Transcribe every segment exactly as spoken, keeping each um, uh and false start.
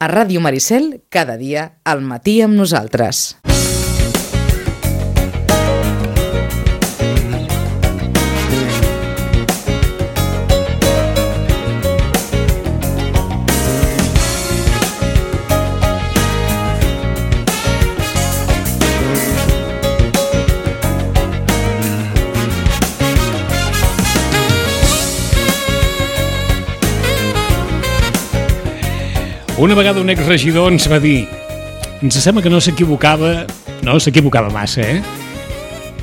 A Ràdio Maricel, cada dia, al matí amb nosaltres. Una vegada un exregidor ens va dir, ens sembla que no s'equivocava, no s'equivocava massa, eh?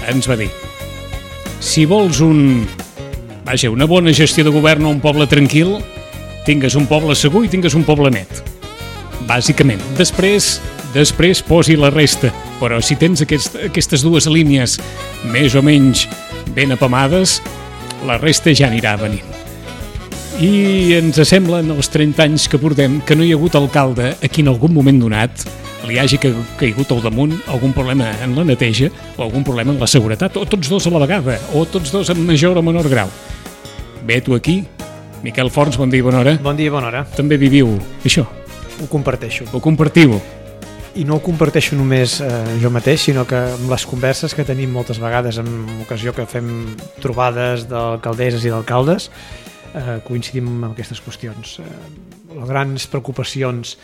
Ens va dir, si vols un, vaja, una bona gestió de govern o un poble tranquil, tingues un poble segur i tingues un poble net. Bàsicament. Després, després posi la resta. Però si tens aquest, aquestes dues línies més o menys ben apamades, la resta ja anirà venint. I ens sembla, en els trenta anys que portem, que no hi ha hagut alcalde a qui en algun moment donat li hagi caigut al damunt algun problema en la neteja o algun problema en la seguretat, o tots dos a la vegada, o tots dos en major o menor grau. Bé, tu aquí, Miquel Forns, bon dia i bona hora. Bon dia i bona hora. També viviu això? Ho comparteixo. Ho compartiu? I no ho comparteixo només eh, jo mateix, sinó que amb les converses que tenim moltes vegades, en ocasió que fem trobades d'alcaldesses i d'alcaldes, Eh, coincidim amb aquestes qüestions. Eh, les grans preocupacions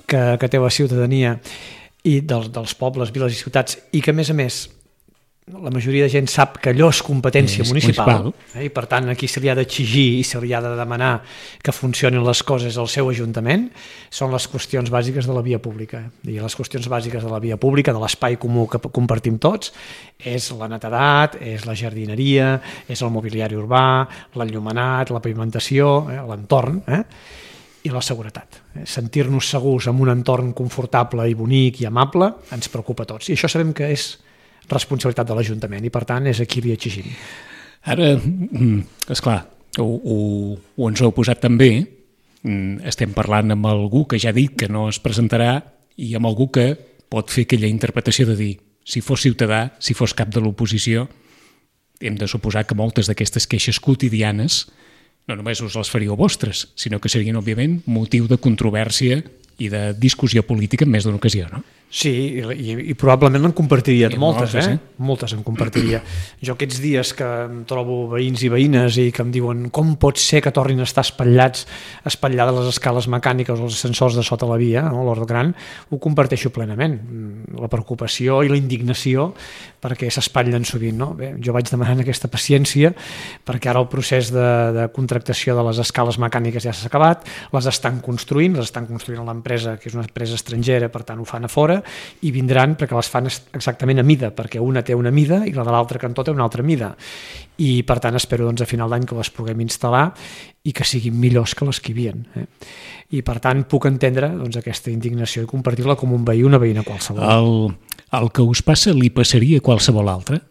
que, que té la ciutadania i dels, dels pobles, viles i ciutats, i que a més a més la majoria de gent sap que allò és competència és municipal, municipal. Eh, i per tant aquí se li ha d'exigir i se li ha de demanar que funcionin les coses al seu ajuntament, són les qüestions bàsiques de la via pública. I les qüestions bàsiques de la via pública, de l'espai comú que compartim tots, és la netedat, és la jardineria, és el mobiliari urbà, l'enllumenat, la pavimentació, eh, l'entorn, eh, i la seguretat. Sentir-nos segurs en un entorn confortable i bonic i amable ens preocupa a tots. I això sabem que és responsabilitat de l'Ajuntament i per tant és aquí li exigim. Ara, esclar, ho, ho, ho ens ho heu posat també, estem parlant amb algú que ja ha dit que no es presentarà i amb algú que pot fer aquella interpretació de dir, si fos ciutadà, si fos cap de l'oposició, hem de suposar que moltes d'aquestes queixes quotidianes no només us les faríeu vostres, sinó que serien, òbviament, motiu de controvèrsia i de discussió política en més d'una ocasió, no? Sí, i, i probablement en compartiria I moltes, moltes, eh? eh? Moltes en compartiria. Jo aquests dies que em trobo veïns i veïnes i que em diuen com pot ser que tornin a estar espatllats, espatllades les escales mecàniques o els ascensors de sota la via, no? L'Hort Gran, ho comparteixo plenament. La preocupació i la indignació perquè s'espatllen sovint, no? Bé, jo vaig demanant aquesta paciència perquè ara el procés de, de contractació de les escales mecàniques ja s'ha acabat, les estan construint, les estan construint l'empresa, que és una empresa estrangera, per tant ho fan a fora, i vindran perquè les fan exactament a mida, perquè una té una mida i la de l'altre cantó té una altra mida. I per tant espero doncs, a final d'any que les puguem instal·lar i que siguin millors que les que hi havien. Eh? I per tant puc entendre doncs, aquesta indignació i compartir-la com un veí, una veïna qualsevol. El, el que us passa li passaria a qualsevol altre?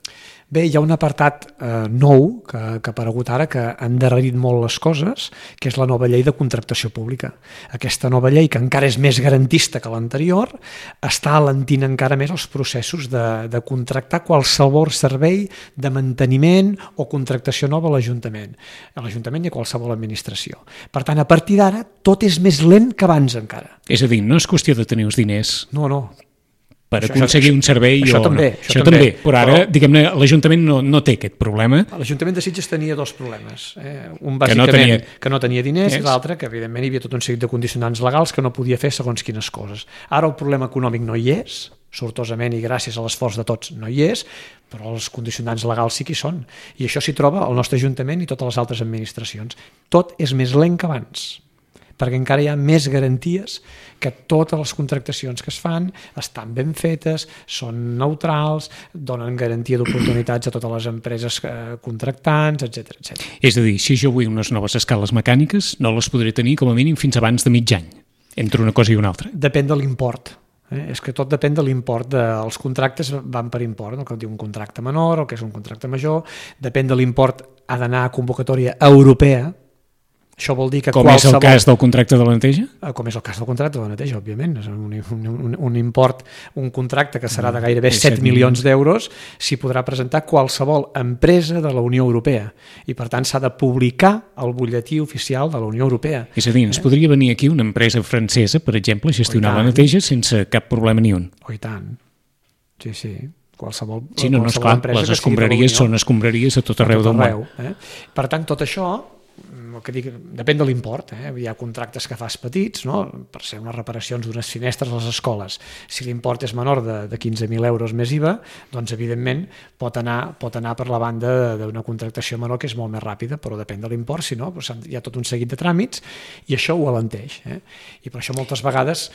Bé, hi ha un apartat eh, nou que, que ha aparegut ara que ha endarrerit molt les coses, que és la nova llei de contractació pública. Aquesta nova llei, que encara és més garantista que l'anterior, està alentint encara més els processos de, de contractar qualsevol servei de manteniment o contractació nova a l'Ajuntament, a l'Ajuntament i a qualsevol administració. Per tant, a partir d'ara, tot és més lent que abans encara. És a dir, no és qüestió de tenir els diners. No, no. Per això, aconseguir un servei això o també, no. Això, això també, també. Però ara, però... diguem-ne, l'Ajuntament no, no té aquest problema. L'Ajuntament de Sitges tenia dos problemes. Eh? Un bàsicament que no tenia, que no tenia diners yes. i l'altre que evidentment hi havia tot un seguit de condicionants legals que no podia fer segons quines coses. Ara el problema econòmic no hi és, sortosament i gràcies a l'esforç de tots no hi és, però els condicionants legals sí que hi són. I això s'hi troba al nostre Ajuntament i totes les altres administracions. Tot és més lent que abans, perquè encara hi ha més garanties que totes les contractacions que es fan estan ben fetes, són neutrals, donen garantia d'oportunitats a totes les empreses contractants, etcètera, etcètera. És a dir, si jo vull unes noves escales mecàniques, no les podré tenir com a mínim fins abans de mig any, entre una cosa i una altra. Depèn de l'import. Eh? És que tot depèn de l'import. De... Els contractes van per import, el que diu un contracte menor, el que és un contracte major, depèn de l'import, ha d'anar a convocatòria europea. Això vol dir que com qualsevol... és el cas del contracte de la neteja? Com és el cas del contracte de la neteja, òbviament. És un, un, un, un import, un contracte que serà de gairebé set milions d'euros, s'hi podrà presentar qualsevol empresa de la Unió Europea. I, per tant, s'ha de publicar el butlletí oficial de la Unió Europea. És a dir, ens podria venir aquí una empresa francesa, per exemple, a gestionar la neteja sense cap problema ni un. Oh, i tant. Sí, sí. Qualsevol, sí, no, no, qualsevol esclar, les escombraries són escombraries a tot arreu del món. Eh? Per tant, tot això... que dic, depèn de l'import, eh? Hi ha contractes que fas petits, no? Per ser unes reparacions d'unes finestres a les escoles. Si l'import és menor de, de quinze mil euros més I V A, doncs evidentment pot anar, pot anar per la banda d'una contractació menor que és molt més ràpida, però depèn de l'import, si no, doncs hi ha tot un seguit de tràmits i això ho alenteix. Eh? I per això moltes vegades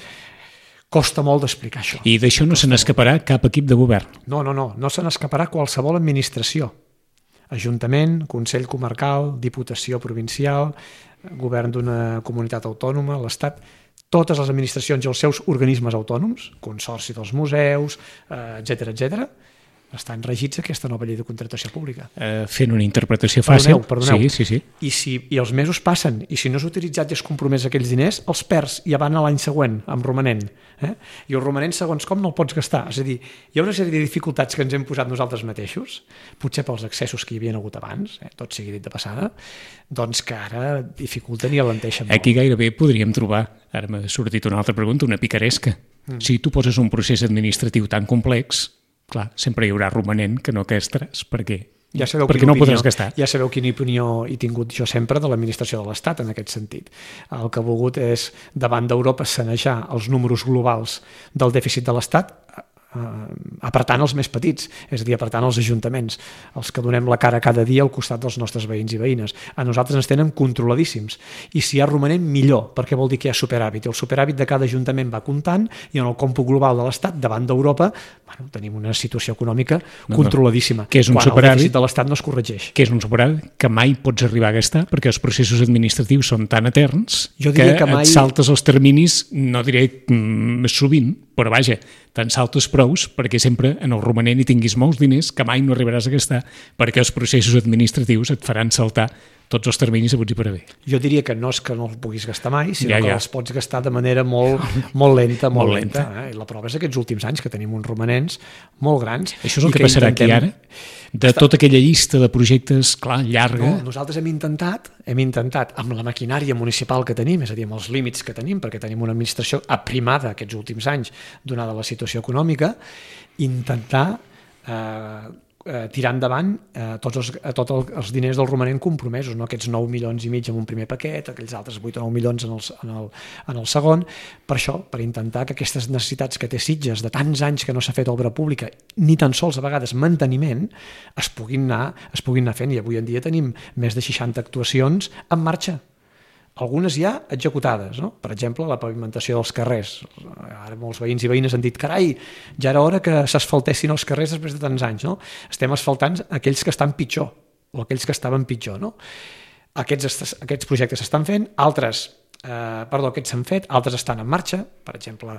costa molt d'explicar això. I d'això no se n'escaparà cap equip de govern? No, no, no, no se n'escaparà qualsevol administració. Ajuntament, Consell Comarcal, Diputació Provincial, Govern d'una comunitat autònoma, l'Estat, totes les administracions i els seus organismes autònoms, Consorci dels Museus, etcètera, etcètera, estan regits aquesta nova llei de contractació pública. Eh, fent una interpretació fàcil. Perdoneu, perdoneu. Sí, sí, sí. I, si, I els mesos passen, i si no és utilitzat i és compromès aquells diners, els perds i ja van a l'any següent, amb romanent. Eh? I el romanent, segons com, no el pots gastar. És a dir, hi ha una sèrie de dificultats que ens hem posat nosaltres mateixos, potser pels excessos que hi havia hagut abans, eh? Tot sigui dit de passada, doncs que ara dificulten i alenteixen molt. Aquí gairebé podríem trobar, ara m'ha sortit una altra pregunta, una picaresca. Mm. Si tu poses un procés administratiu tan complex, clar, sempre hi haurà romanent que no gastaràs, perquè, ja sabeu perquè no podràs gastar. Ja sabeu quina opinió he tingut jo sempre de l'administració de l'Estat en aquest sentit. El que he volgut és, davant d'Europa, sanejar els números globals del dèficit de l'Estat, apretant els més petits, és a dir, apretant els ajuntaments, els que donem la cara cada dia al costat dels nostres veïns i veïnes. A nosaltres ens tenen controladíssims. I si hi ha romanent, millor, perquè vol dir que hi ha superàvit. I el superàvit de cada ajuntament va comptant i en el còmput global de l'Estat, davant d'Europa, bueno, tenim una situació econòmica controladíssima. Què és un quan superàvit? El dèficit de l'Estat no es corregeix. Què és un superàvit? Que mai pots arribar a gastar perquè els processos administratius són tan eterns jo que, que mai... et saltes els terminis, no diré mm, sovint, però vaja, te'n saltes prous perquè sempre en el romanent hi tinguis molts diners que mai no arribaràs a gastar perquè els processos administratius et faran saltar tots els terminis haguts i per haver. Jo diria que no és que no els puguis gastar mai, sinó ja, que ja. els pots gastar de manera molt, molt lenta, molt, molt lenta. lenta. Eh? I la prova és aquests últims anys que tenim uns romanents molt grans. Això és el que, que passarà intentem... aquí ara? De Està... tota aquella llista de projectes, clar, llarga... No, nosaltres hem intentat, hem intentat, amb la maquinària municipal que tenim, és a dir, amb els límits que tenim, perquè tenim una administració aprimada aquests últims anys, donada la situació econòmica, intentar eh, eh, tirar endavant eh, tots, els, eh, tots els diners del romanent compromesos, no? Aquests nou milions i mig en un primer paquet, aquells altres vuit o nou milions en el, en, el, en el segon, per això, per intentar que aquestes necessitats que té Sitges de tants anys que no s'ha fet obra pública, ni tan sols a vegades manteniment, es puguin anar, es puguin anar fent, i avui en dia tenim més de seixanta actuacions en marxa. Algunes ja executades, no? Per exemple, la pavimentació dels carrers. Ara molts veïns i veïnes han dit, carai, ja era hora que s'asfaltessin els carrers després de tants anys, no? Estem asfaltant aquells que estan pitjor, o aquells que estaven pitjor, no? Aquests, aquests projectes s'estan fent, altres, eh, perdó, aquests s'han fet, altres estan en marxa, per exemple,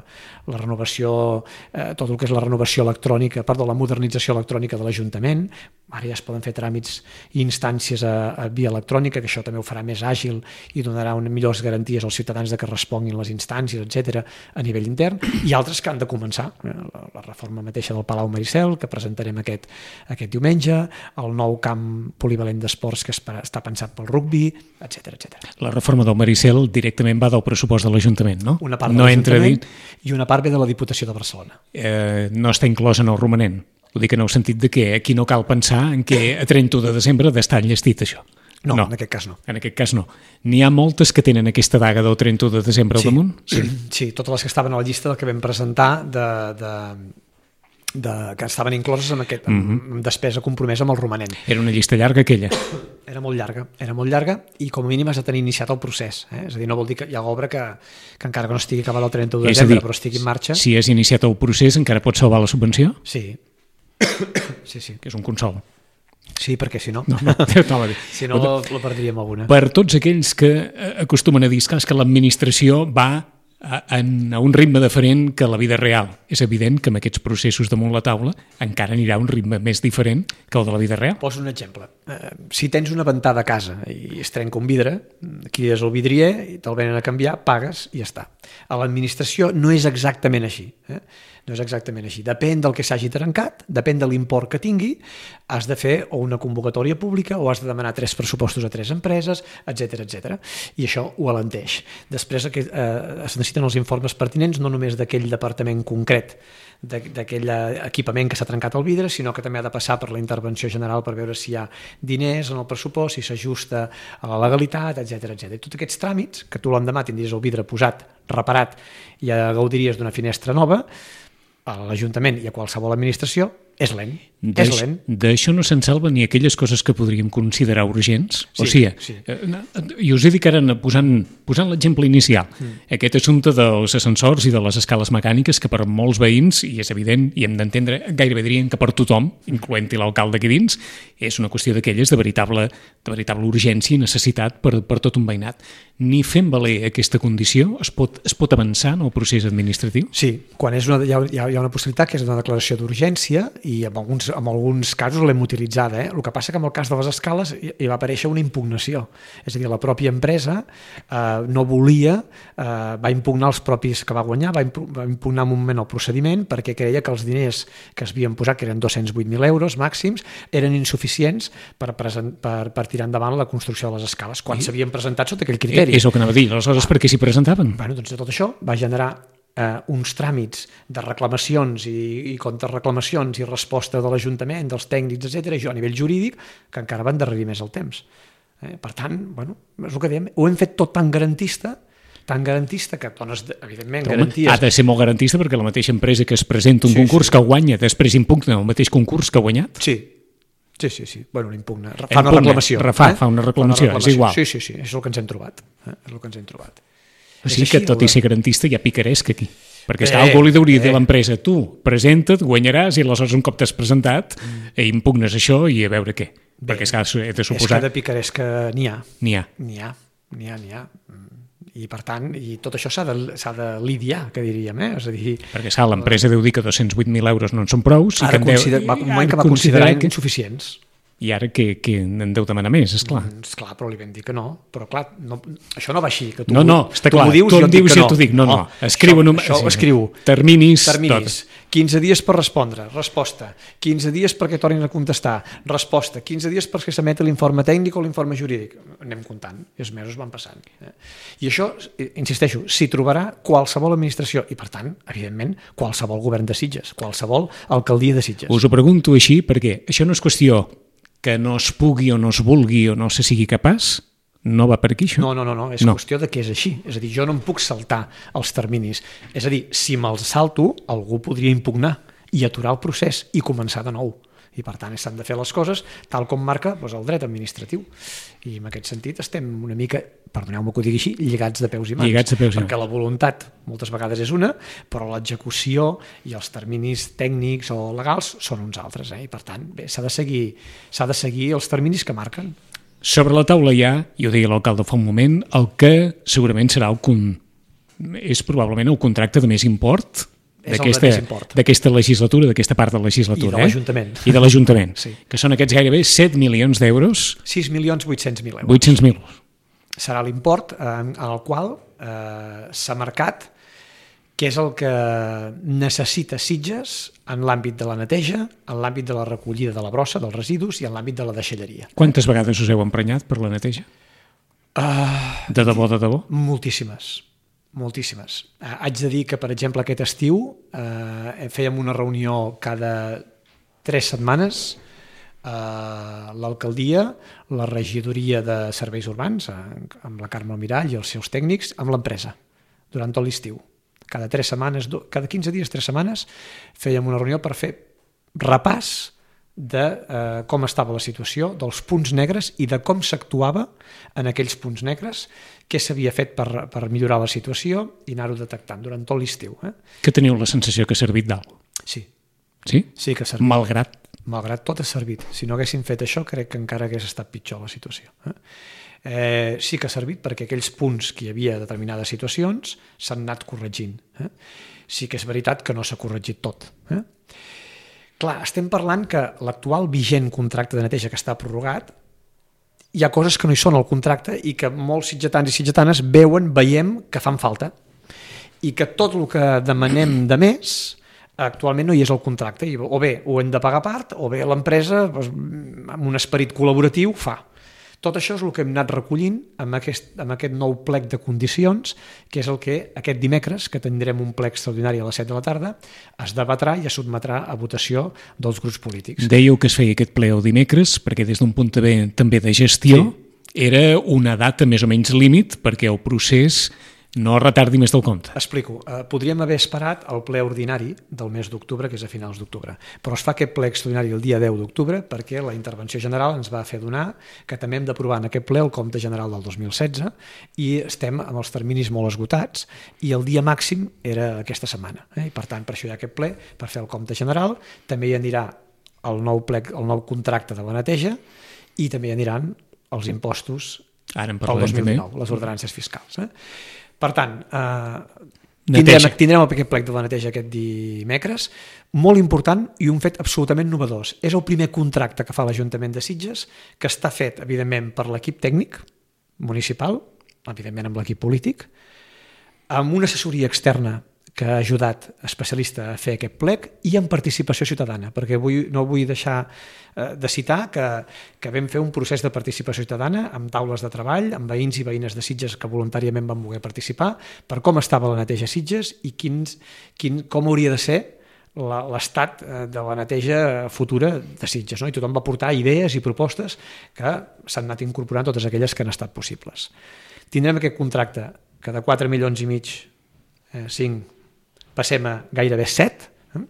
la renovació, eh, tot el que és la renovació electrònica, perdó, la modernització electrònica de l'Ajuntament, ara ja es poden fer tràmits i instàncies a, a via electrònica, que això també ho farà més àgil i donarà una, millors garanties als ciutadans de que responguin les instàncies, etcètera, a nivell intern, i altres que han de començar. La, la reforma mateixa del Palau Maricel, que presentarem aquest, aquest diumenge, el nou camp polivalent d'esports que es, està pensat pel rugbi, etcètera, etcètera. La reforma del Maricel directament va del pressupost de l'Ajuntament, no? Una part de no l'Ajuntament dit... i una part ve de la Diputació de Barcelona. Eh, no està inclòs en el romanent. Ho dic en el sentit de que aquí no cal pensar en que a trenta de desembre ha d'estar enllestit això. No, no, en aquest cas no. En aquest cas no. N'hi ha moltes que tenen aquesta daga del trenta de desembre sí. al damunt? Sí. sí, totes les que estaven a la llista del que vam presentar de, de, de, que estaven incloses en aquest, amb, mm-hmm. amb despesa compromesa amb el romanent. Era una llista llarga aquella? Era molt llarga, era molt llarga i com a mínim has de tenir iniciat el procés. Eh? És a dir, no vol dir que hi ha obra que, que encara que no estigui acabada el trenta de desembre, dir, però estigui en marxa... Si has iniciat el procés encara pots salvar la subvenció? Sí. sí, sí. Que és un consol. Sí, perquè si no, no, no, no si no la perdríem alguna. Per tots aquells que acostumen a dir que l'administració va a, en, a un ritme diferent que la vida real. És evident que amb aquests processos damunt la taula encara anirà a un ritme més diferent que el de la vida real. Poso un exemple. Uh, si tens una ventada a casa i es trenca un vidre, crides el vidrier i te'l venen a canviar, pagues i ja està. A l'administració no és exactament així. Eh? No és exactament així. Depèn del que s'hagi trencat, depèn de l'import que tingui, has de fer o una convocatòria pública o has de demanar tres pressupostos a tres empreses, etcètera, etcètera. I això ho alenteix. Després eh, es necessiten els informes pertinents no només d'aquell departament concret, d'aquell equipament que s'ha trencat el vidre, sinó que també ha de passar per la intervenció general per veure si hi ha diners en el pressupost, si s'ajusta a la legalitat, etcètera, etcètera. I tots aquests tràmits, que tu l'endemà tindries el vidre posat, reparat, i ja gaudiries d'una finestra nova, a l'Ajuntament i a qualsevol administració, és lent. És lent. D'això no se'n salven ni aquelles coses que podríem considerar urgents. Sí, o sigui, sí. I us he dit que ara posant, posant l'exemple inicial, mm. aquest assumpte dels ascensors i de les escales mecàniques que per molts veïns, i és evident, i hem d'entendre, gairebé dirien que per tothom, incloent-hi l'alcalde aquí dins, és una qüestió d'aquelles de veritable, de veritable urgència i necessitat per, per tot un veïnat. Ni fent valer aquesta condició es pot, es pot avançar en el procés administratiu? Sí, quan és una, hi, ha, hi ha una possibilitat que és una declaració d'urgència i en alguns, en alguns casos l'hem utilitzada. Eh? El que passa que en el cas de les escales hi, hi va aparèixer una impugnació. És a dir, la pròpia empresa eh, no volia, eh, va impugnar els propis que va guanyar, va impugnar un moment el procediment perquè creia que els diners que es havien posat, que eren dos-cents vuit mil euros màxims, eren insuficients per, present, per, per tirar endavant la construcció de les escales, quan s'havien presentat sota aquell criteri. És el que anava a dir, aleshores per què s'hi presentaven? Bueno, doncs tot això va generar eh, uns tràmits de reclamacions i, i contrarreclamacions i resposta de l'Ajuntament, dels tècnics, etcètera, i jo a nivell jurídic, que encara van endarrerir més el temps. Eh, per tant, bueno, és el que dèiem, ho hem fet tot tan garantista, tan garantista que dones, evidentment, Home, garanties... ha de ser molt garantista perquè la mateixa empresa que es presenta un sí, concurs sí. que guanya, després impugna el mateix concurs que ha guanyat? Sí, sí, sí, sí. Bueno, l'impugna. Fa impugna, una reclamació. Refà, eh? fa una reclamació, fa una reclamació, és igual. Sí, sí, sí, és el que ens hem trobat. Eh? És el que ens hem trobat. O sigui que tot i ser garantista hi ha picaresc aquí. Perquè eh, algú li hauria de dir a l'empresa, tu presenta't, guanyaràs, i aleshores un cop t'has presentat mm. impugnes això i a veure què. Bé, perquè és que he de suposar... És que de picaresc n'hi ha. N'hi ha. N'hi ha, n'hi ha, n'hi ha. I per tant, i tot això s'ha de, s'ha de lidiar, que diríem, eh? És a dir... Perquè s'ha, l'empresa deu dir que dos-cents vuit mil euros no en són prou. Sí ara que deu, consider, va un moment que va considerar que... insuficients. I ara que, que en deu demanar més, esclar. Mm, esclar, però li vam dir que no. Però clar, no, això no va així. Que tu, no, no, està clar. Tu, dius, tu em dius i no. t'ho dic. No, no, oh, escriu això, un... això sí, escriu. Terminis. Terminis. Tot. quinze dies per respondre. Resposta. quinze dies perquè tornin a contestar. Resposta. quinze dies perquè s'emeti l'informe tècnic o l'informe jurídic. Anem comptant. I els mesos van passant. I això, insisteixo, s'hi trobarà qualsevol administració i, per tant, evidentment, qualsevol govern de Sitges, qualsevol alcaldia de Sitges. Us ho pregunto així perquè això no és qüestió que no es pugui o no es vulgui o no se sigui capaç, no va per aquí això? No, no, no, no. és no. qüestió de que és així. És a dir, jo no em puc saltar els terminis. És a dir, si me'ls salto, algú podria impugnar i aturar el procés i començar de nou. I per tant s'han de fer les coses tal com marca doncs, el dret administratiu. I en aquest sentit estem una mica, perdoneu-me que ho digui així, lligats de peus i mans. Lligats de peus i mans. Perquè la voluntat moltes vegades és una, però l'execució i els terminis tècnics o legals són uns altres. Eh? I per tant, bé, s'ha de seguir, s'ha de seguir els terminis que marquen. Sobre la taula hi ha, i ho deia l'alcalde fa un moment, el que segurament serà el con... és probablement el contracte de més import d'aquesta legislatura, d'aquesta part de la legislatura. I de l'Ajuntament. Eh? I de l'Ajuntament, sí. Que són aquests gairebé set milions d'euros. sis milions vuit-cents mil euros. vuit-cents mil. Serà l'import en el qual eh, s'ha marcat què és el que necessita Sitges en l'àmbit de la neteja, en l'àmbit de la recollida de la brossa, dels residus i en l'àmbit de la deixalleria. Quantes vegades us heu emprenyat per la neteja? Uh, de debò, de debò? Moltíssimes. Moltíssimes. Eh, haig de dir que, per exemple, aquest estiu eh, fèiem una reunió cada tres setmanes, eh, l'alcaldia, la regidoria de serveis urbans, eh, amb la Carme Almirall i els seus tècnics, amb l'empresa, durant tot l'estiu. Cada tres setmanes, cada quinze dies, tres setmanes, fèiem una reunió per fer repàs de eh, com estava la situació, dels punts negres i de com s'actuava en aquells punts negres, què s'havia fet per, per millorar la situació i anar-ho detectant durant tot l'estiu. Eh? Que teniu la sensació que ha servit d'alt? Sí. Sí? Sí que ha servit. Malgrat? Malgrat tot ha servit. Si no haguéssim fet això, crec que encara hagués estat pitjor la situació. Eh? Eh, sí que ha servit perquè aquells punts que hi havia determinades situacions s'han anat corregint. Eh? Sí que és veritat que no s'ha corregit tot. Eh? Clar, estem parlant que l'actual vigent contracte de neteja que està prorrogat, hi ha coses que no hi són al contracte i que molts sitgetans i sitgetanes veuen, veiem que fan falta. I que tot el que demanem de més actualment no hi és al contracte. I o bé ho hem de pagar a part, o bé l'empresa, doncs, amb un esperit col·laboratiu, fa. Tot això és el que hem anat recollint amb aquest, amb aquest nou plec de condicions, que és el que aquest dimecres, que tindrem un plec extraordinari a les set de la tarda, es debatrà i es sotmetrà a votació dels grups polítics. Dèieu que es feia aquest ple el dimecres, perquè des d'un punt de, també de gestió sí. Era una data més o menys límit perquè el procés no retardi més del compte. Explico. Eh, podríem haver esperat el ple ordinari del mes d'octubre, que és a finals d'octubre, però es fa aquest ple extraordinari el dia deu d'octubre perquè la intervenció general ens va fer donar que també hem d'aprovar en aquest ple el compte general del dos mil setze i estem amb els terminis molt esgotats i el dia màxim era aquesta setmana. Eh? I per tant, per això hi ha aquest ple, per fer el compte general. També hi anirà el nou, plec, el nou contracte de la neteja i també hi aniran els impostos Ara pel dos mil dinou, les ordenances fiscals. Eh? Per tant, eh, Neteja. tindrem, tindrem aquest plec de la neteja aquest dimecres, molt important i un fet absolutament novedós. És el primer contracte que fa l'Ajuntament de Sitges, que està fet, evidentment, per l'equip tècnic municipal, evidentment amb l'equip polític, amb una assessoria externa que ha ajudat especialista a fer aquest plec i amb participació ciutadana, perquè vull, no vull deixar eh, de citar que, que vam fer un procés de participació ciutadana amb taules de treball, amb veïns i veïnes de Sitges que voluntàriament van voler participar per com estava la neteja a Sitges i quins, quin, com hauria de ser l'estat de la neteja futura de Sitges. No? I tothom va portar idees i propostes que s'han anat incorporant totes aquelles que han estat possibles. Tindrem aquest contracte que de quatre milions i mig, eh, cinc, passem a gairebé set, eh?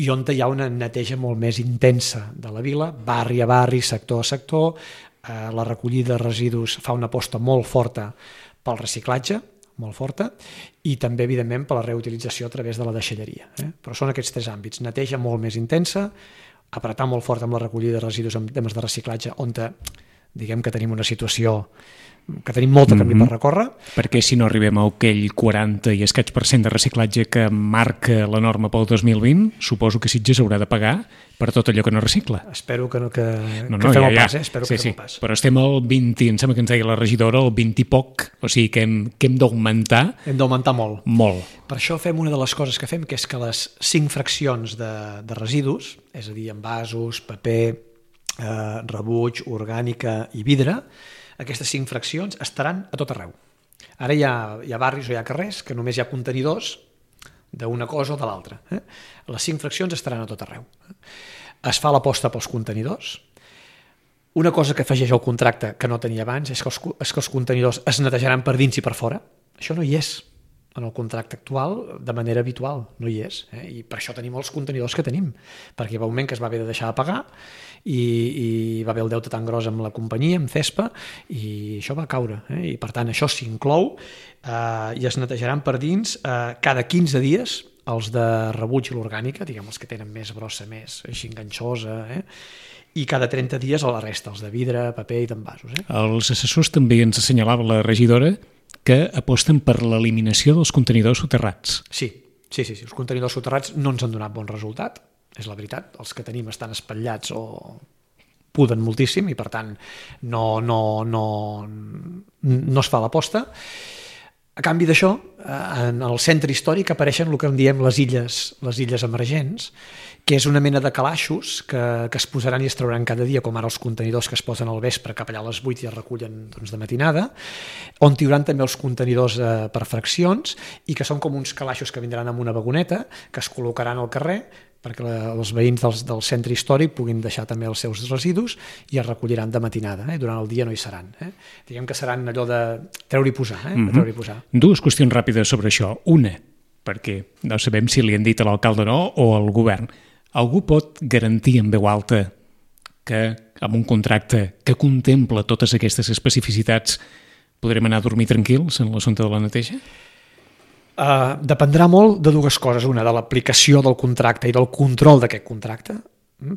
I on hi ha una neteja molt més intensa de la vila, barri a barri, sector a sector, eh, la recollida de residus fa una aposta molt forta pel reciclatge, molt forta, i també, evidentment, per la reutilització a través de la deixalleria. Eh? Però són aquests tres àmbits, neteja molt més intensa, apretar molt fort amb la recollida de residus en temes de reciclatge, on te, diguem que tenim una situació que tenim molt de camí mm-hmm. per recórrer. Perquè si no arribem a aquell quaranta i escaig per cent de reciclatge que marca la norma pel dos mil vint, suposo que Sitges haurà de pagar per tot allò que no recicla. Espero que, no, que, no, no, que fem ja, el pas, ja. eh? Espero sí, que sí. fem el pas. Però estem al vint, em sembla que ens deia la regidora, el vint i poc, o sigui que hem, que hem d'augmentar. Hem d'augmentar molt. Molt. Per això fem una de les coses que fem, que és que les cinc fraccions de, de residus, és a dir, envasos, paper, eh, rebuig, orgànica i vidre, aquestes cinc fraccions estaran a tot arreu. Ara hi ha, hi ha barris o hi ha carrers que només hi ha contenidors d'una cosa o de l'altra. Eh? Les cinc fraccions estaran a tot arreu. Es fa l'aposta pels contenidors. Una cosa que afegeix al contracte que no tenia abans és que els, és que els contenidors es netejaran per dins i per fora. Això no hi és en el contracte actual de manera habitual, no hi és. Eh? I per això tenim els contenidors que tenim, perquè hi va un moment que es va haver de deixar de pagar i, i va haver el deute tan gros amb la companyia, amb Cespa, i això va caure. Eh? I per tant això s'inclou eh, i es netejaran per dins eh, cada quinze dies els de rebuig i l'orgànica, diguem els que tenen més brossa, més així enganxosa, eh? I cada trenta dies a la resta, els de vidre, paper i d'envasos. Eh? Els assessors també ens assenyalava la regidora que aposten per l'eliminació dels contenidors soterrats. Sí, sí, sí, sí. Els contenidors soterrats no ens han donat bon resultat, és la veritat. Els que tenim estan espatllats o puden moltíssim i per tant no, no, no, no es fa l'aposta. A canvi d'això, en el centre històric apareixen el que en diem les illes, les illes emergents, que és una mena de calaixos que, que es posaran i es trauran cada dia, com ara els contenidors que es posen al vespre cap allà a les vuit i es recullen doncs, de matinada, on hi haurà també els contenidors eh, per fraccions i que són com uns calaixos que vindran amb una vagoneta que es col·locaran al carrer perquè la, els veïns del, del centre històric puguin deixar també els seus residus i es recolliran de matinada. Eh? Durant el dia no hi seran. Eh? Diguem que seran allò de treure i posar. Eh? Mm-hmm. de treure i posar. Dues qüestions ràpides sobre això. Una, perquè no sabem si li han dit a l'alcalde o no o al govern. Algú pot garantir en veu alta que amb un contracte que contempla totes aquestes especificitats podrem anar a dormir tranquils en l'assumpte de la neteja? Uh, dependrà molt de dues coses. Una, de l'aplicació del contracte i del control d'aquest contracte.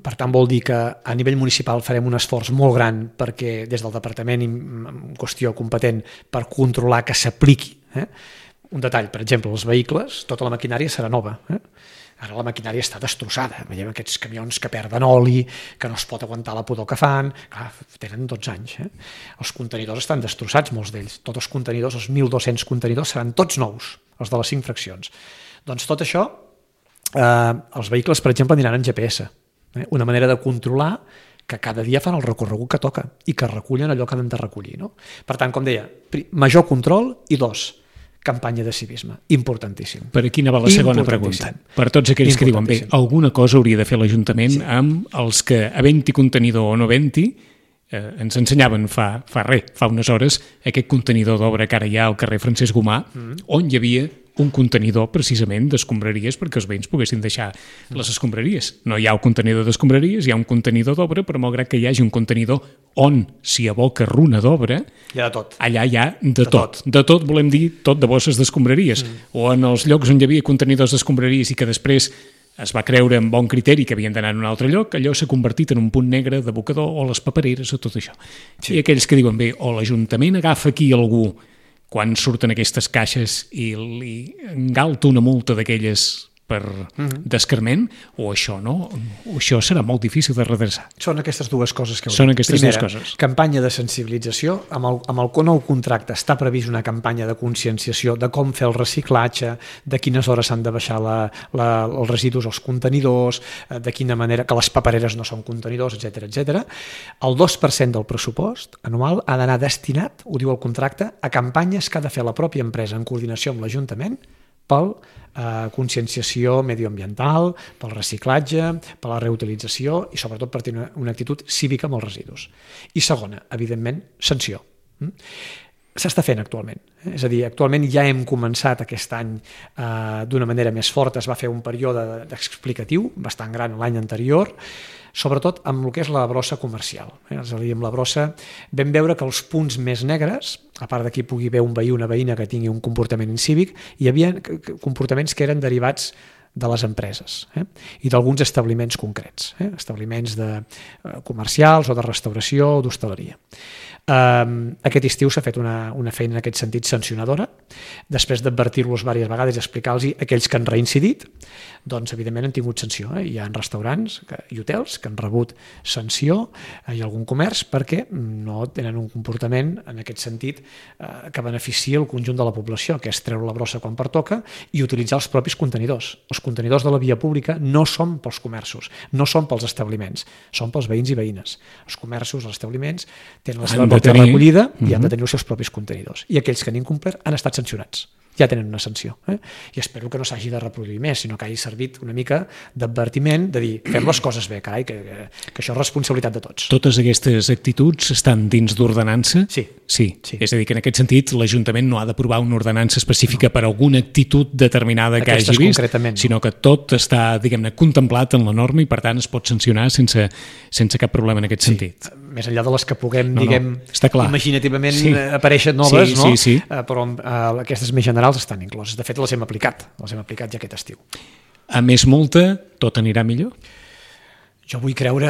Per tant, vol dir que a nivell municipal farem un esforç molt gran perquè des del departament en qüestió competent per controlar que s'apliqui. Eh? Un detall, per exemple, els vehicles, tota la maquinària serà nova. Eh? Ara la maquinària està destrossada. Veiem aquests camions que perden oli, que no es pot aguantar la pudor que fan. Clar, tenen dotze anys. Eh? Els contenidors estan destrossats, molts d'ells. Tots els contenidors, els mil dos-cents contenidors, seran tots nous, els de les cinc fraccions. Doncs tot això, eh, els vehicles, per exemple, aniran en G P S. Eh? Una manera de controlar que cada dia fan el recorregut que toca i que recullen allò que han de recollir. No? Per tant, com deia, major control i dos, campanya de civisme. Importantíssim. Per aquí anava la segona pregunta. Per tots aquells que diuen, bé, alguna cosa hauria de fer l'Ajuntament sí. amb els que, havent-hi contenidor o no havent-hi, eh, ens ensenyaven fa, fa res, fa unes hores, aquest contenidor d'obra que ara hi ha al carrer Francesc Gomà, mm. on hi havia un contenidor precisament d'escombraries perquè els veïns poguessin deixar les escombraries. No hi ha un contenidor d'escombraries, hi ha un contenidor d'obra, però malgrat que hi hagi un contenidor on s'hi aboca runa d'obra, hi ha de tot. Allà hi ha de, de tot. tot. De tot volem dir tot de bosses d'escombraries. Mm. O en els llocs on hi havia contenidors d'escombraries i que després es va creure amb bon criteri que havien d'anar en un altre lloc, allò s'ha convertit en un punt negre d'abocador, o les papereres o tot això. Sí. I aquells que diuen, bé, o l'Ajuntament agafa aquí algú quan surten aquestes caixes i li engalta una multa d'aquelles per uh-huh. d'escarment, o això no, o això serà molt difícil de redreçar. Són aquestes dues coses que... Són aquestes Primera, dues coses. Campanya de sensibilització. Amb el, amb el nou contracte està previst una campanya de conscienciació de com fer el reciclatge, de quines hores s'han de baixar la, la, els residus als contenidors, de quina manera, que les papereres no són contenidors, etcètera, etcètera. El dos per cent del pressupost anual ha d'anar destinat, ho diu el contracte, a campanyes que ha de fer la pròpia empresa en coordinació amb l'Ajuntament pel eh, conscienciació medioambiental, pel reciclatge, per la reutilització i sobretot per tenir una, una actitud cívica amb els residus. I segona, evidentment, sanció. Mm? S'està fent actualment. Eh? És a dir, actualment ja hem començat aquest any eh, d'una manera més forta, es va fer un període explicatiu bastant gran l'any anterior, sobretot amb el que és la brossa comercial. Eh? És a dir, amb la brossa vam veure que els punts més negres, a part d'aquí pugui haver un veí o una veïna que tingui un comportament incívic, hi havia comportaments que eren derivats de les empreses eh? i d'alguns establiments concrets, eh? establiments de, eh, comercials o de restauració o d'hostaleria. Um, aquest estiu s'ha fet una, una feina en aquest sentit sancionadora, després d'advertir-los diverses vegades i explicar-los aquells que han reincidit, doncs evidentment han tingut sanció. Eh? Hi ha restaurants que, i hotels que han rebut sanció eh, i algun comerç perquè no tenen un comportament en aquest sentit eh, que beneficia el conjunt de la població, que és treure la brossa quan pertoca i utilitzar els propis contenidors. Els contenidors de la via pública no són pels comerços, no són pels establiments, són pels veïns i veïnes. Els comerços, els establiments tenen la seva pròpia recollida i han de tenir els seus propis contenidors. I aquells que han incomplert han estat sancionats. Ja tenen una sanció. Eh? I espero que no s'hagi de reproduir més, sinó que hagi servit una mica d'advertiment, de dir, fem les coses bé, carai, que, que, que això és responsabilitat de tots. Totes aquestes actituds estan dins d'ordenança? Sí. sí. Sí. És a dir, que en aquest sentit l'Ajuntament no ha d'aprovar una ordenança específica no. per alguna actitud determinada que Aquestes hagi vist, no. sinó que tot està, diguem-ne, contemplat en la norma i per tant es pot sancionar sense, sense cap problema en aquest sí. sentit. Més enllà de les que puguem, no, diguem, no. imaginativament sí. apareixen noves, sí, no? sí, sí. Uh, però uh, aquestes més generals estan incloses. De fet, les hem aplicat. Les hem aplicat ja aquest estiu. A més multa, tot anirà millor? Jo vull creure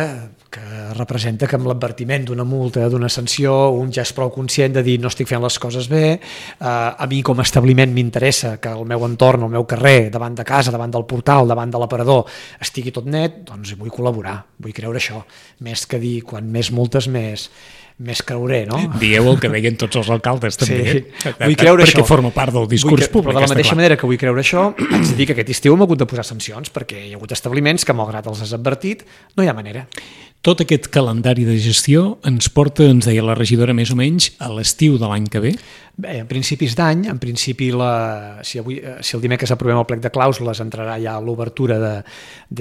que representa que amb l'advertiment d'una multa, d'una sanció, un ja és prou conscient de dir no estic fent les coses bé, uh, a mi com a establiment m'interessa que el meu entorn, el meu carrer, davant de casa, davant del portal, davant de l'aparador, estigui tot net, doncs vull col·laborar, vull creure això. Més que dir, quan més multes, més... més creuré, no? Dieu el que deien tots els alcaldes, també. Sí, vull creure perquè això. Perquè forma part del discurs vull, públic. Però de la mateixa clar. manera que vull creure això, haig de dir que aquest estiu hem hagut de posar sancions, perquè hi ha hagut establiments que, malgrat els has advertit, no hi ha manera. Tot aquest calendari de gestió ens porta, ens deia la regidora, més o menys a l'estiu de l'any que ve? Bé, a principis d'any, en principi, la, si, avui, si el dimecres aprovem el plec de clàusules, entrarà ja l'obertura de,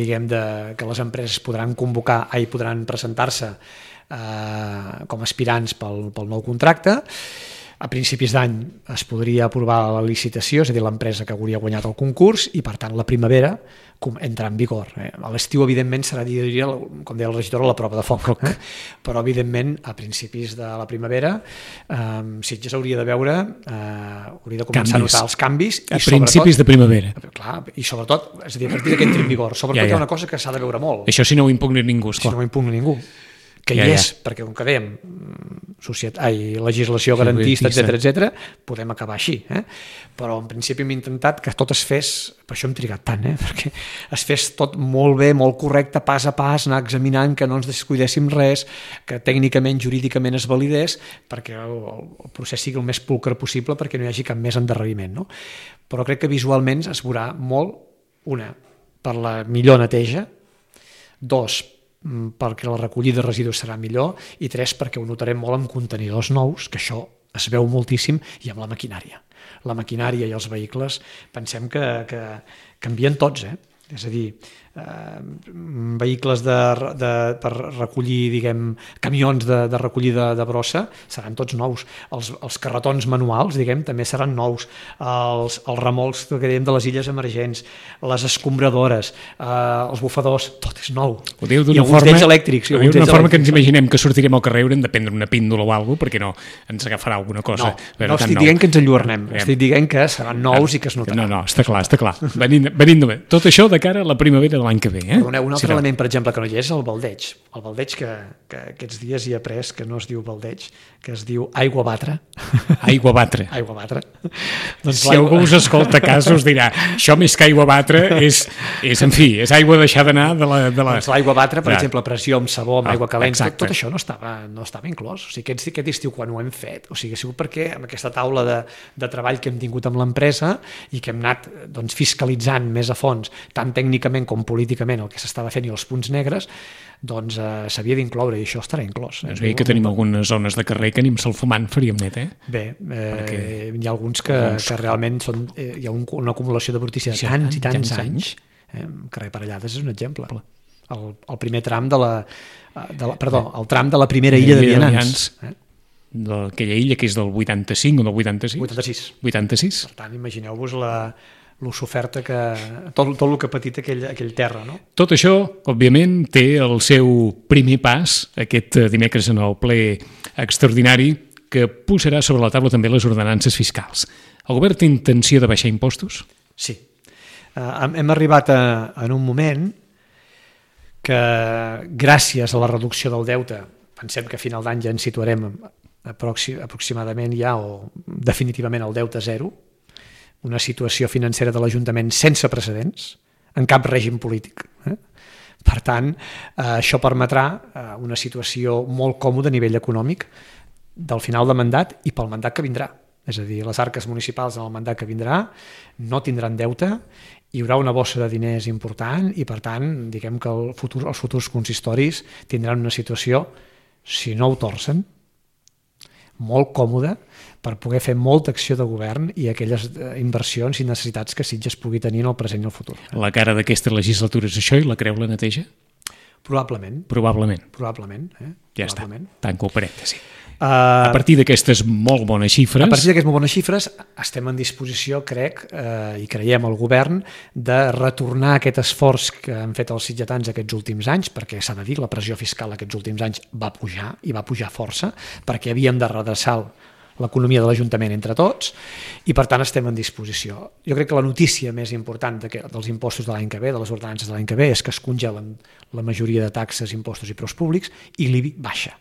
diguem, de, que les empreses podran convocar, ai, podran presentar-se Eh, com a aspirants pel, pel nou contracte. a principis d'any es podria aprovar la licitació, és a dir, l'empresa que hauria guanyat el concurs, i per tant la primavera entrarà en vigor. Eh? A l'estiu, evidentment, serà, diria, com deia el regidor, la prova de foc. Eh? Però, evidentment, a principis de la primavera, eh, Sitges hauria de veure, eh, hauria de començar canvis. A notar els canvis. A i principis de primavera. Clar, i sobretot, és a dir, a partir que entri en vigor. Sobretot ja, ja. Hi ha una cosa que s'ha de veure molt. Això si no ho impugna ningú, esclar. Si no ho impugna ningú. Que hi ja, és, ja. Perquè com que dèiem, societat, ai, legislació garantista, etcètera, etcètera, podem acabar així. Eh? Però en principi hem intentat que tot es fes, per això hem trigat tant, eh? Perquè es fes tot molt bé, molt correcte, pas a pas, anar examinant, que no ens descuidéssim res, que tècnicament, jurídicament es validés, perquè el, el procés sigui el més pulcre possible, perquè no hi hagi cap més endarreriment. No? Però crec que visualment es veurà molt, una, per la millor neteja, dos, perquè la recollida de residus serà millor, i tres, perquè ho notarem molt amb contenidors nous, que això es veu moltíssim, i amb la maquinària. La maquinària i els vehicles pensem que, que canvien tots, eh? És a dir, eh, vehicles de, de, per recollir, diguem, camions de, de recollida de brossa seran tots nous. Els, els carretons manuals, diguem, també seran nous. Els, els remolcs que dèiem de les illes emergents, les escombradores, eh, els bufadors, tot és nou. Ho diu d'una forma, d'ells elèctrics. Ho diu d'una forma que ens imaginem que sortirem al carrer, haurem de prendre una píndola o alguna cosa, perquè no ens agafarà alguna cosa. No, no estic nou. Dient que ens enlluernem, eh. estic dient que seran nous ah, i que es notaran. No, no, està clar, està clar. Venint, venint bé. Tot això de cara a la primavera de l'any que ve. Eh? Un, un altre sí, element, per exemple, que no hi és, el baldeig. El baldeig que, que aquests dies hi ha après, que no es diu baldeig, que es diu aigua batre. Aigua batre. Aigua batre. Doncs si algú us escolta a casa us dirà, això més que aigua batre és, és en fi, és aigua deixar d'anar de la... De la... Doncs l'aigua batre, per ja. exemple, pressió amb sabó, amb ah, aigua calenta, tot, tot això no estava, no estava inclòs. O sigui, aquest, aquest estiu, quan ho hem fet, o sigui, ha sigut perquè amb aquesta taula de, de treball que hem tingut amb l'empresa i que hem anat doncs, fiscalitzant més a fons, tant tècnicament com políticament, el que s'estava fent i els punts negres, doncs eh, s'havia d'incloure, i això estarà inclòs. Doncs bé, que tenim algunes zones de carrer que ni amb se'l fumant faríem net, eh? Bé, eh, Perquè... hi ha alguns que, alguns... que realment són, eh, hi ha un, una acumulació de brutícia de tants i tants anys. Eh, carrer Parellades és un exemple. El, el primer tram de la, de la... Perdó, el tram de la primera illa de Vianants. Eh? D'aquella illa que és del vuitanta-cinc o del vuitanta-sis? vuitanta-sis. vuitanta-sis. Per tant, imagineu-vos la... lo soferta que... Tot, tot el que ha patit aquell, aquell terra, no? Tot això, òbviament, té el seu primer pas aquest dimecres en el ple extraordinari que posarà sobre la taula també les ordenances fiscals. El govern té intenció de baixar impostos? Sí. Uh, hem arribat a, en un moment que, gràcies a la reducció del deute, pensem que a final d'any ja ens situarem aproximadament ja o definitivament al deute zero, una situació financera de l'Ajuntament sense precedents, en cap règim polític. Eh? Per tant, eh, això permetrà eh, una situació molt còmoda a nivell econòmic del final de mandat i pel mandat que vindrà. És a dir, les arques municipals en el mandat que vindrà no tindran deute, hi haurà una bossa de diners important i, per tant, diguem que el futur, els futurs consistoris tindran una situació, si no ho torcen, molt còmoda per poder fer molta acció de govern i aquelles inversions i necessitats que Sitges pugui tenir en el present i el futur. La cara d'aquesta legislatura és això i la creu la neteja? Probablement. Probablement. Probablement. Eh? Ja Probablement. està, tanco el parèntesi. Uh, a partir d'aquestes molt bones xifres... A partir d'aquestes molt bones xifres estem en disposició, crec, eh, i creiem al govern, de retornar aquest esforç que han fet els sitgetans aquests últims anys, perquè s'ha de dir, la pressió fiscal aquests últims anys va pujar, i va pujar força, perquè havíem de redreçar l'economia de l'Ajuntament entre tots, i per tant estem en disposició. Jo crec que la notícia més important de que, dels impostos de l'any que ve, de les ordenances de l'any que ve, és que es congelen la majoria de taxes, impostos i preus públics, i l'I B I baixa.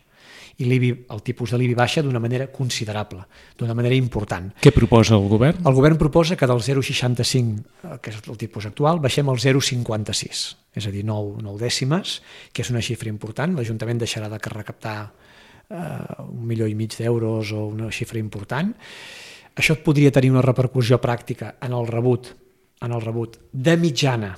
I l'I B I, el tipus de l'I B I baixa d'una manera considerable, d'una manera important. Què proposa el govern? El govern proposa que del zero coma seixanta-cinc, que és el tipus actual, baixem al zero coma cinquanta-sis, és a dir, nou, nou dècimes, que és una xifra important. L'Ajuntament deixarà de recaptar Uh, un milió i mig d'euros o una xifra important. Això podria tenir una repercussió pràctica en el rebut, en el rebut de mitjana,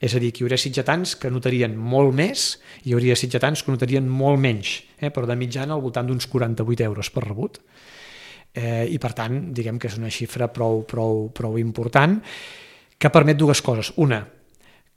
és a dir, que hi hauria sitgetans que notarien molt més i hi hauria sitgetans que notarien molt menys, eh? Però de mitjana al voltant d'uns quaranta-vuit euros per rebut. Eh, i per tant, diguem que és una xifra prou, prou, prou important que permet dues coses. Una,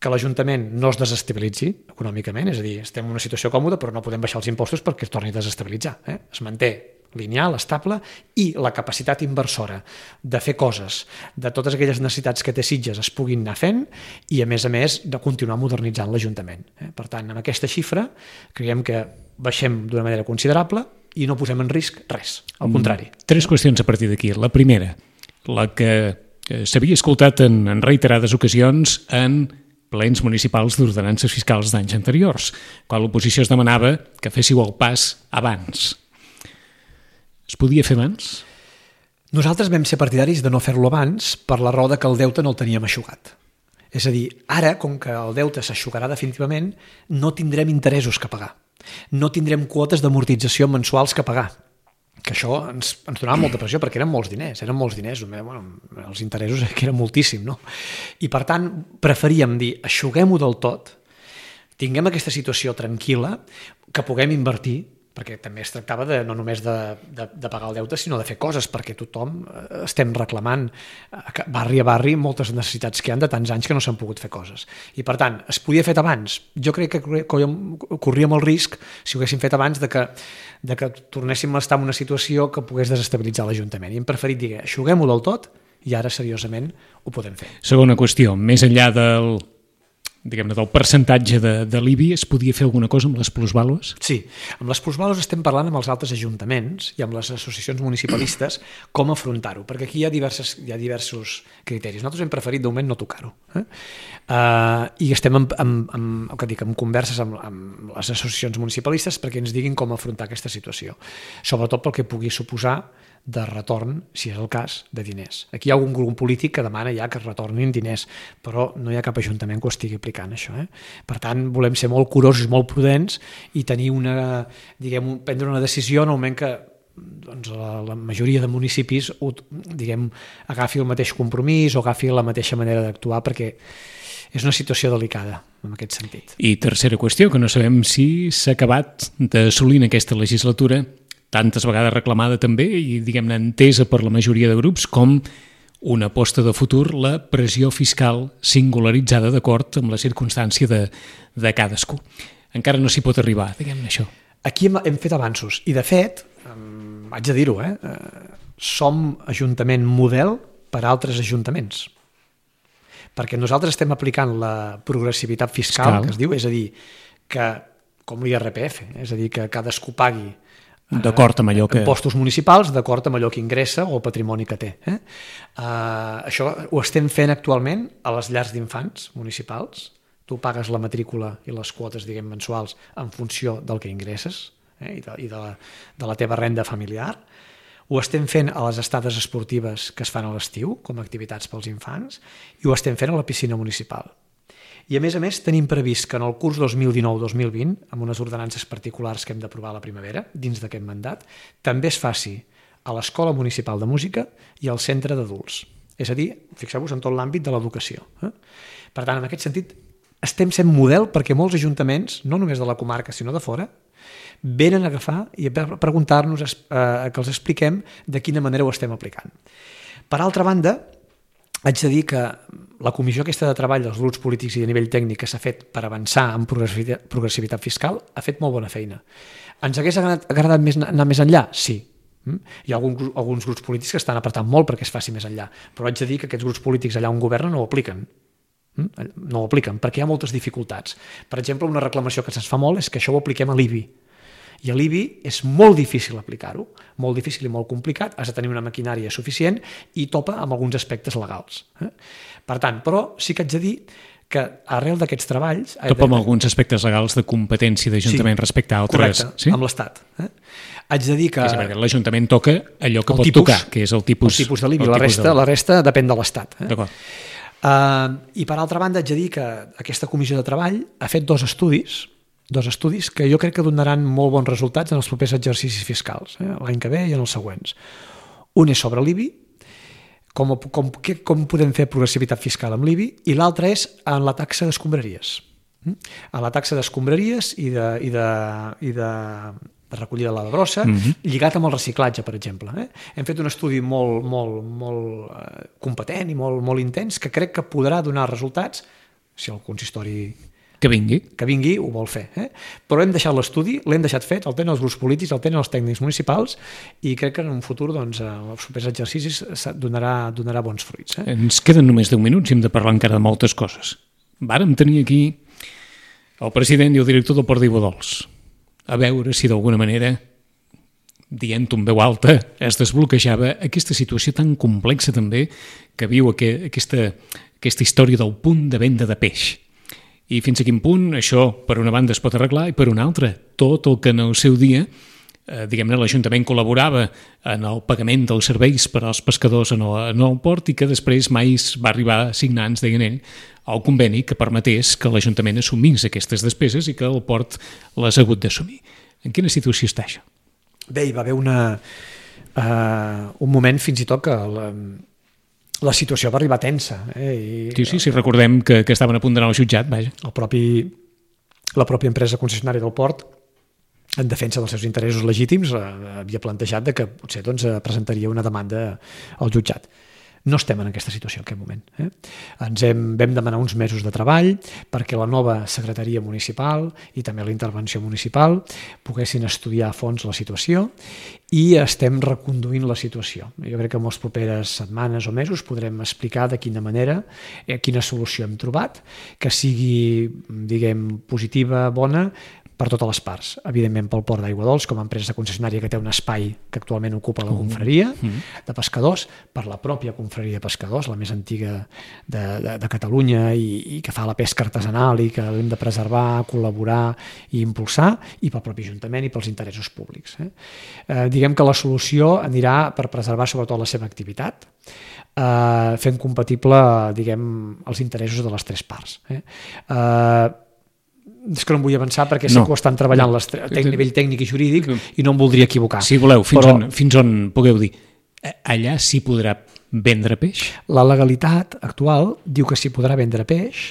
que l'Ajuntament no es desestabilitzi econòmicament, és a dir, estem en una situació còmoda però no podem baixar els impostos perquè es torni a desestabilitzar. Eh? Es manté lineal, estable, i la capacitat inversora de fer coses, de totes aquelles necessitats que té Sitges es puguin anar fent i, a més a més, de continuar modernitzant l'Ajuntament. Per tant, amb aquesta xifra creiem que baixem d'una manera considerable i no posem en risc res, al contrari. Tres qüestions a partir d'aquí. La primera, la que s'havia escoltat en, en reiterades ocasions en plens municipals d'ordenances fiscals d'anys anteriors, quan l'oposició es demanava que féssiu el pas abans. Es podia fer abans? Nosaltres vam ser partidaris de no fer-lo abans per la raó de que el deute no el teníem eixugat. És a dir, ara, com que el deute s'eixugarà definitivament, no tindrem interessos que pagar. No tindrem quotes d'amortització mensuals que pagar. Que això ens, ens donava molta pressió, perquè eren molts diners, eren molts diners, bueno, els interessos que eren moltíssim, no? I per tant, preferíem dir, eixuguem-ho del tot, tinguem aquesta situació tranquil·la, que puguem invertir, perquè també es tractava de, no només de, de, de pagar el deute, sinó de fer coses, perquè tothom estem reclamant barri a barri moltes necessitats que hi ha de tants anys que no s'han pogut fer coses. I per tant, es podia fer abans. Jo crec que corríem el risc, si ho haguéssim fet abans, de que, de que tornéssim a estar en una situació que pogués desestabilitzar l'Ajuntament. I hem preferit dir, eixuguem-ho del tot i ara seriosament ho podem fer. Segona qüestió, més enllà del diguem-ne, del percentatge de, de l'I B I, es podia fer alguna cosa amb les plusvàlues? Sí, amb les plusvàlues estem parlant amb els altres ajuntaments i amb les associacions municipalistes com afrontar-ho, perquè aquí hi ha, diverses, hi ha diversos criteris. Nosaltres hem preferit de moment no tocar-ho. Eh? Uh, I estem en, en, en, que dic, en converses amb, amb les associacions municipalistes perquè ens diguin com afrontar aquesta situació, sobretot pel que pugui suposar de retorn, si és el cas, de diners. Aquí hi ha algun grup polític que demana ja que es retornin diners, però no hi ha cap ajuntament que ho estigui aplicant, això. Eh? Per tant, volem ser molt curosos, molt prudents i tenir una, diguem, prendre una decisió en el moment que doncs, la, la majoria de municipis ho, diguem, agafi el mateix compromís o agafi la mateixa manera d'actuar, perquè és una situació delicada en aquest sentit. I tercera qüestió, que no sabem si s'ha acabat d'assolir en aquesta legislatura, tantes vegades reclamada també i, diguem-ne, entesa per la majoria de grups com una aposta de futur, la pressió fiscal singularitzada d'acord amb la circumstància de, de cadascú. Encara no s'hi pot arribar, diguem-ne això. Aquí hem, hem fet avanços i, de fet, um, haig de dir-ho, eh, som ajuntament model per a altres ajuntaments. Perquè nosaltres estem aplicant la progressivitat fiscal, fiscal, que es diu, és a dir, que, com l'I R P F, és a dir, que cadascú pagui d'acord amb allò que... impostos municipals, d'acord amb allò que ingressa o el patrimoni que té. Eh? Uh, això ho estem fent actualment a les llars d'infants municipals. Tu pagues la matrícula i les quotes, diguem, mensuals en funció del que ingresses eh? i, de, i de, la, de la teva renda familiar. Ho estem fent a les estades esportives que es fan a l'estiu, com a activitats pels infants, i ho estem fent a la piscina municipal. I, a més a més, tenim previst que en el curs dos mil dinou dos mil vint, amb unes ordenances particulars que hem d'aprovar a la primavera, dins d'aquest mandat, també es faci a l'Escola Municipal de Música i al Centre d'Adults. És a dir, fixeu-vos en tot l'àmbit de l'educació. Eh? Per tant, en aquest sentit, estem sent model perquè molts ajuntaments, no només de la comarca, sinó de fora, venen a agafar i a preguntar-nos eh, que els expliquem de quina manera ho estem aplicant. Per altra banda, haig de dir que la comissió aquesta de treball dels grups polítics i a nivell tècnic que s'ha fet per avançar en progressivitat, progressivitat fiscal ha fet molt bona feina. Ens hagués agradat, agradat més, anar més enllà? Sí. Hi ha alguns, alguns grups polítics que estan apretant molt perquè es faci més enllà, però haig de dir que aquests grups polítics allà on governen no ho apliquen. No ho apliquen, perquè hi ha moltes dificultats. Per exemple, una reclamació que se'ns fa molt és que això ho apliquem a l'I B I. I a l'I B I és molt difícil aplicar-ho, molt difícil i molt complicat, has de tenir una maquinària suficient i topa amb alguns aspectes legals. Per tant, però sí que haig de dir que arrel d'aquests treballs... Topa amb alguns aspectes legals de competència d'Ajuntament sí, respecte a altres... Correcte, sí? Amb l'Estat. Eh? Haig de dir que... És perquè l'Ajuntament toca allò que pot tipus, tocar, que és el tipus... El tipus de l'I B I, la resta, de... la resta depèn de l'Estat. Eh? D'acord. Uh, I per altra banda haig de dir que aquesta comissió de treball ha fet dos estudis dos estudis que jo crec que donaran molt bons resultats en els propers exercicis fiscals, eh? l'any que ve i en els següents. Un és sobre l'I B I, com, com, com podem fer progressivitat fiscal amb l'I B I, i l'altre és en la taxa d'escombraries. En la taxa d'escombraries i de, i de, i de, de recollida de la brossa, mm-hmm. lligat amb el reciclatge, per exemple. Eh? Hem fet un estudi molt, molt, molt eh, competent i molt, molt intens que crec que podrà donar resultats, si el consistori Que vingui. Que vingui, ho vol fer. Eh? Però hem deixat l'estudi, l'hem deixat fet, el tenen els grups polítics, el tenen els tècnics municipals i crec que en un futur, doncs, els propers exercicis donarà, donarà bons fruits. Eh? Ens queden només deu minuts i hem de parlar encara de moltes coses. Vàrem tenir aquí el president i el director del Port d'Aiguadols a veure si d'alguna manera, dient-ho en veu alta, es desbloquejava aquesta situació tan complexa també que viu aquesta, aquesta història del punt de venda de peix. I fins a quin punt això, per una banda, es pot arreglar i per una altra, tot el que en el seu dia, eh, diguem-ne, l'Ajuntament col·laborava en el pagament dels serveis per als pescadors en el, en el port i que després mai es va arribar a signar, ens deien ell, el conveni que permetés que l'Ajuntament assumís aquestes despeses i que el port les ha hagut d'assumir. En quina situació està això? Bé, hi va haver una, uh, un moment fins i tot que la, la situació va arribar tensa. Eh? I, sí, sí, sí, recordem que, que estaven a punt d'anar al jutjat, vaja. El propi, la pròpia empresa concessionària del port, en defensa dels seus interessos legítims, havia plantejat de que potser doncs, presentaria una demanda al jutjat. No estem en aquesta situació en aquest moment. Eh? Ens hem, vam demanar uns mesos de treball perquè la nova secretaria municipal i també la intervenció municipal poguessin estudiar a fons la situació i estem reconduint la situació. Jo crec que en les properes setmanes o mesos podrem explicar de quina manera, eh, quina solució hem trobat, que sigui, diguem, positiva, bona, per totes les parts. Evidentment pel Port d'Aiguadols, com a empresa concessionària que té un espai que actualment ocupa la confraria de pescadors, per la pròpia confraria de pescadors, la més antiga de, de, de Catalunya i, i que fa la pesca artesanal i que hem de preservar, col·laborar i impulsar, i pel propi Ajuntament i pels interessos públics. Eh? Eh, diguem que la solució anirà per preservar sobretot la seva activitat, eh, fent compatible, diguem, els interessos de les tres parts. Eh? Eh, és que no em vull avançar perquè sé no. que ho estan treballant a nivell tècnic i jurídic i no em voldria equivocar. Si voleu, fins, però, on, fins on pugueu dir. Allà s'hi podrà vendre peix? La legalitat actual diu que s'hi podrà vendre peix,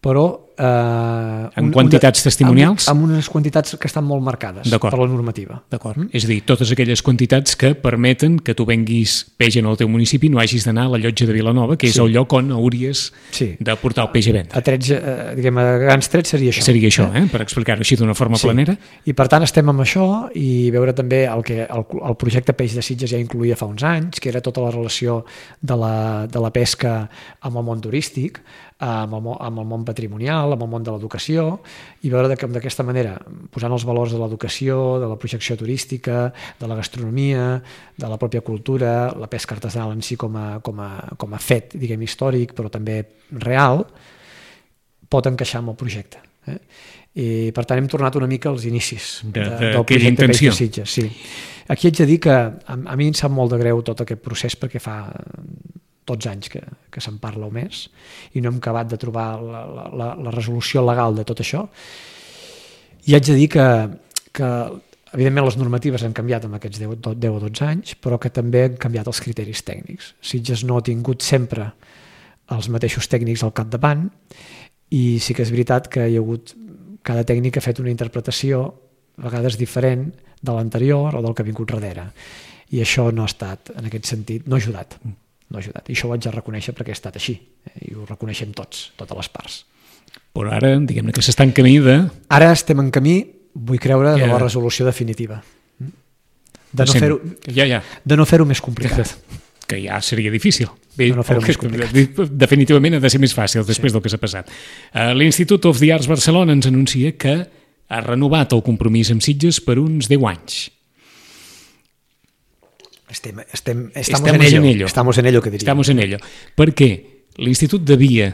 però... Eh, en quantitats una, testimonials? Amb, amb unes quantitats que estan molt marcades per la normativa. D'acord. Mm? És a dir, totes aquelles quantitats que permeten que tu venguis peix en el teu municipi, no hagis d'anar a la Llotja de Vilanova, que és sí. el lloc on hauries sí. de portar el peix a vendre. A, trets, eh, diguem, a grans trets seria això. Seria això, eh? per explicar-ho així d'una forma sí. planera. I per tant estem amb això i veure també el que el, el projecte Peix de Sitges ja incluïa fa uns anys, que era tota la relació de la, de la pesca amb el món turístic, amb el, amb el món patrimonial, amb el món de l'educació, i veure que d'aquesta manera, posant els valors de l'educació, de la projecció turística, de la gastronomia, de la pròpia cultura, la pesca artesanal en si com a, com a, com a fet, diguem, històric, però també real, pot encaixar amb el projecte. Eh? I per tant hem tornat una mica als inicis de, de, del projecte Peix de Sitges. Sí. Aquí haig de dir que a, a mi em sap molt de greu tot aquest procés perquè fa dotze anys que, que se'n parla o més i no hem acabat de trobar la, la, la resolució legal de tot això. I haig de dir que, que evidentment les normatives han canviat en aquests deu o dotze anys, però que també han canviat els criteris tècnics. Sitges no ha tingut sempre els mateixos tècnics al capdavant i sí que és veritat que hi ha hagut, cada tècnic ha fet una interpretació a vegades diferent de l'anterior o del que ha vingut darrere. I això no ha estat, en aquest sentit, no ha ajudat. No ha ajudat. I això ho haig de reconèixer perquè ha estat així. I ho reconeixem tots, totes les parts. Però ara, diguem-ne que s'està en camí de... Ara estem en camí, vull creure, de la resolució definitiva. De no fer-ho ja, ja. de no fer-ho més complicat. Que ja seria difícil. Bé, de no fer-ho més complicat. Definitivament ha de ser més fàcil després sí. del que s'ha passat. L'Institut of the Arts Barcelona ens anuncia que ha renovat el compromís amb Sitges per uns deu anys. Estem, estem, estamos, estamos en, ello. en ello. Estamos en ello, que diria. Estamos en ello. Per què? L'Institut devia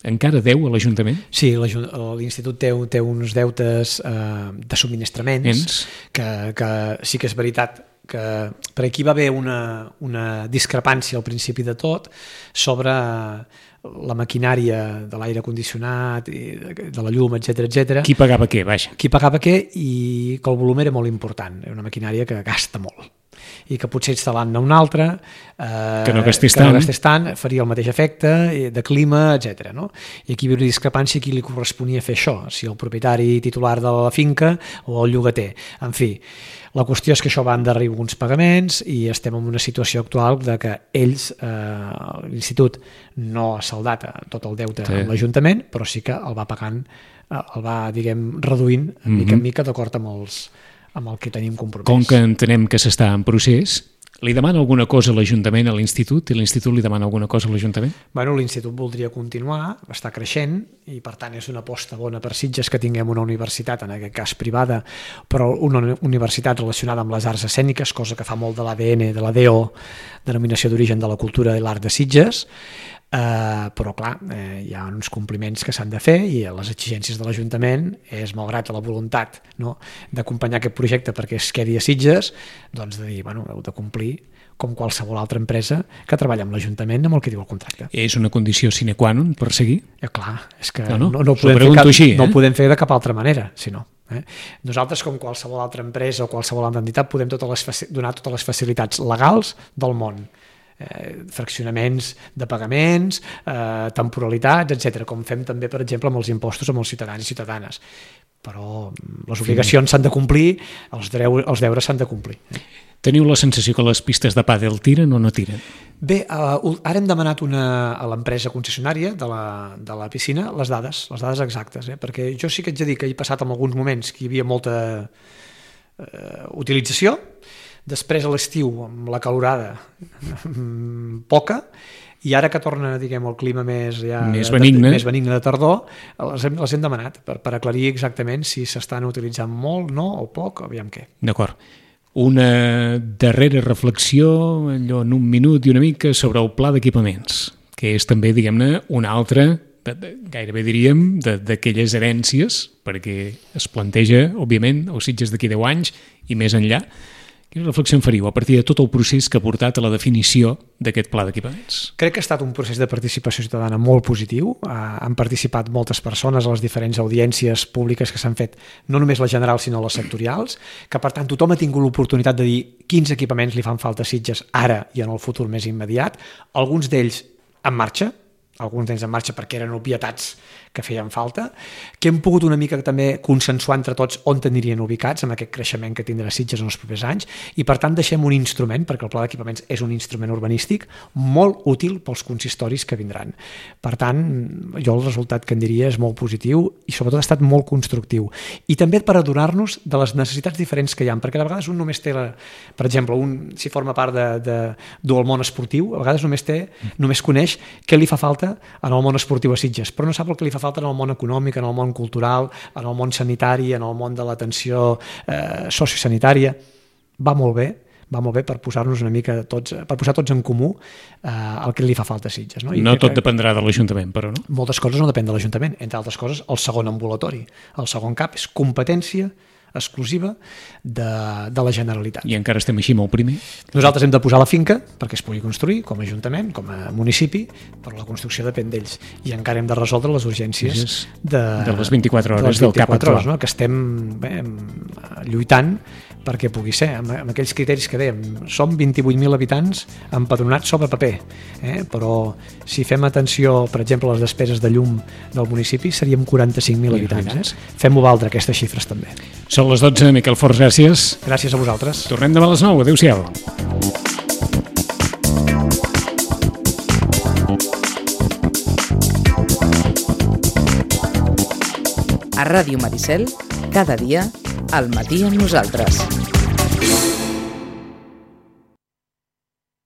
encara deu a l'Ajuntament? Sí, l'Institut té, té uns deutes eh, de subministraments que, que sí que és veritat que per aquí va haver una, una discrepància al principi de tot sobre la maquinària de l'aire condicionat, de la llum, etcètera, etcètera. Qui pagava què, vaja? Qui pagava què i que el volum era molt important. Era una maquinària que gasta molt. i que potser instal·lant-ne un altre eh, que no gastés que no tant. gastés tant faria el mateix efecte de clima, etcètera. No? I aquí hi hauria discrepància qui li corresponia fer això, si el propietari titular de la finca o el llogater. En fi, la qüestió és que això va endarrerir alguns pagaments i estem en una situació actual de que ells, eh, l'institut, no ha saldat tot el deute sí. amb l'Ajuntament, però sí que el va pagant, el va, diguem, reduint mica mm-hmm. en mica d'acord amb, els, amb el que tenim compromès. Com que entenem que s'està en procés, li demana alguna cosa a l'Ajuntament, a l'Institut, i l'Institut li demana alguna cosa a l'Ajuntament? Bueno, l'Institut voldria continuar, està creixent, i per tant és una aposta bona per Sitges que tinguem una universitat, en aquest cas privada, però una universitat relacionada amb les arts escèniques, cosa que fa molt de l'A D N, de la D O, Denominació d'Origen de la Cultura i l'Art de Sitges, Uh, però clar, eh, hi ha uns compliments que s'han de fer i les exigències de l'Ajuntament és, malgrat la voluntat, no, d'acompanyar aquest projecte perquè es quedi a Sitges, doncs de dir, bueno, heu de complir com qualsevol altra empresa que treballa amb l'Ajuntament amb el que diu el contracte. És una condició sine qua non per seguir? Eh, clar, és que no, no, no, no, podem, fer cap, així, eh? no podem fer de cap altra manera, si no. Eh? Nosaltres, com qualsevol altra empresa o qualsevol altra entitat, podem totes les, donar totes les facilitats legals del món. Eh, fraccionaments de pagaments, eh, temporalitats, etcètera, com fem també, per exemple, amb els impostos amb els ciutadans i ciutadanes. Però les obligacions s'han de complir, els, dreu, els deures s'han de complir. Eh? Teniu la sensació que les pistes de pàdel tiren o no tiren? Bé, uh, ara hem demanat una, a l'empresa concessionària de la, de la piscina les dades, les dades exactes, eh? Perquè jo sí que ets a dir que he passat en alguns moments que hi havia molta uh, utilització. Després a l'estiu, amb la calorada, poca, i ara que torna, diguem, el clima més, ja, més, benigne. De, més benigne de tardor, les hem, les hem demanat per, per aclarir exactament si s'estan utilitzant molt, no, o poc, aviam què. D'acord. Una darrera reflexió, allò en un minut i una mica, sobre el pla d'equipaments, que és també, diguem-ne, una altra, de, de, gairebé diríem, d'aquelles herències, perquè es planteja, òbviament, els Sitges d'aquí deu anys i més enllà. Quina reflexió en faríeu a partir de tot el procés que ha portat a la definició d'aquest pla d'equipaments? Crec que ha estat un procés de participació ciutadana molt positiu. Han participat moltes persones a les diferents audiències públiques que s'han fet, no només les generals sinó les sectorials, que per tant tothom ha tingut l'oportunitat de dir quins equipaments li fan falta a Sitges ara i en el futur més immediat, alguns d'ells en marxa, alguns d'ells en marxa perquè eren obvietats que feien falta, que hem pogut una mica també consensuar entre tots on anirien ubicats amb aquest creixement que tindrà Sitges en els propers anys, i per tant deixem un instrument, perquè el pla d'equipaments és un instrument urbanístic molt útil pels consistoris que vindran. Per tant, jo el resultat que en diria és molt positiu i sobretot ha estat molt constructiu. I també per adonar-nos de les necessitats diferents que hi ha, perquè de vegades un només té, la, per exemple, un, si forma part de, de, del món esportiu, a vegades només té, només coneix què li fa falta en el món esportiu a Sitges, però no sap el que li fa falta en el món econòmic, en el món cultural, en el món sanitari, en el món de l'atenció eh, sociosanitària. Va molt bé, va molt bé per posar-nos una mica tots, per posar tots en comú eh, el que li fa falta a Sitges. No, I no tot que, dependrà de l'Ajuntament, però no? Moltes coses no depèn de l'Ajuntament, entre altres coses el segon ambulatori. El segon cap és competència exclusiva de, de la Generalitat. I encara estem així amb el primer? Nosaltres hem de posar la finca perquè es pugui construir com a Ajuntament, com a municipi, però la construcció depèn d'ells. I encara hem de resoldre les urgències de, de les vint-i-quatre hores de les vint-i-quatre del cap actual. Hores, no? Que estem bé, lluitant perquè pugui ser, amb, amb aquells criteris que dèiem. Som vint-i-vuit mil habitants empadronats sobre paper, eh? Però si fem atenció, per exemple, a les despeses de llum del municipi, seríem quaranta-cinc mil habitants. Eh? Fem-ho valdre, aquestes xifres també. Són les dotze, Miquel Forns, gràcies. Gràcies a vosaltres. Tornem demà a les nou, adéu-siau. A Ràdio Maricel, cada dia, al matí amb nosaltres.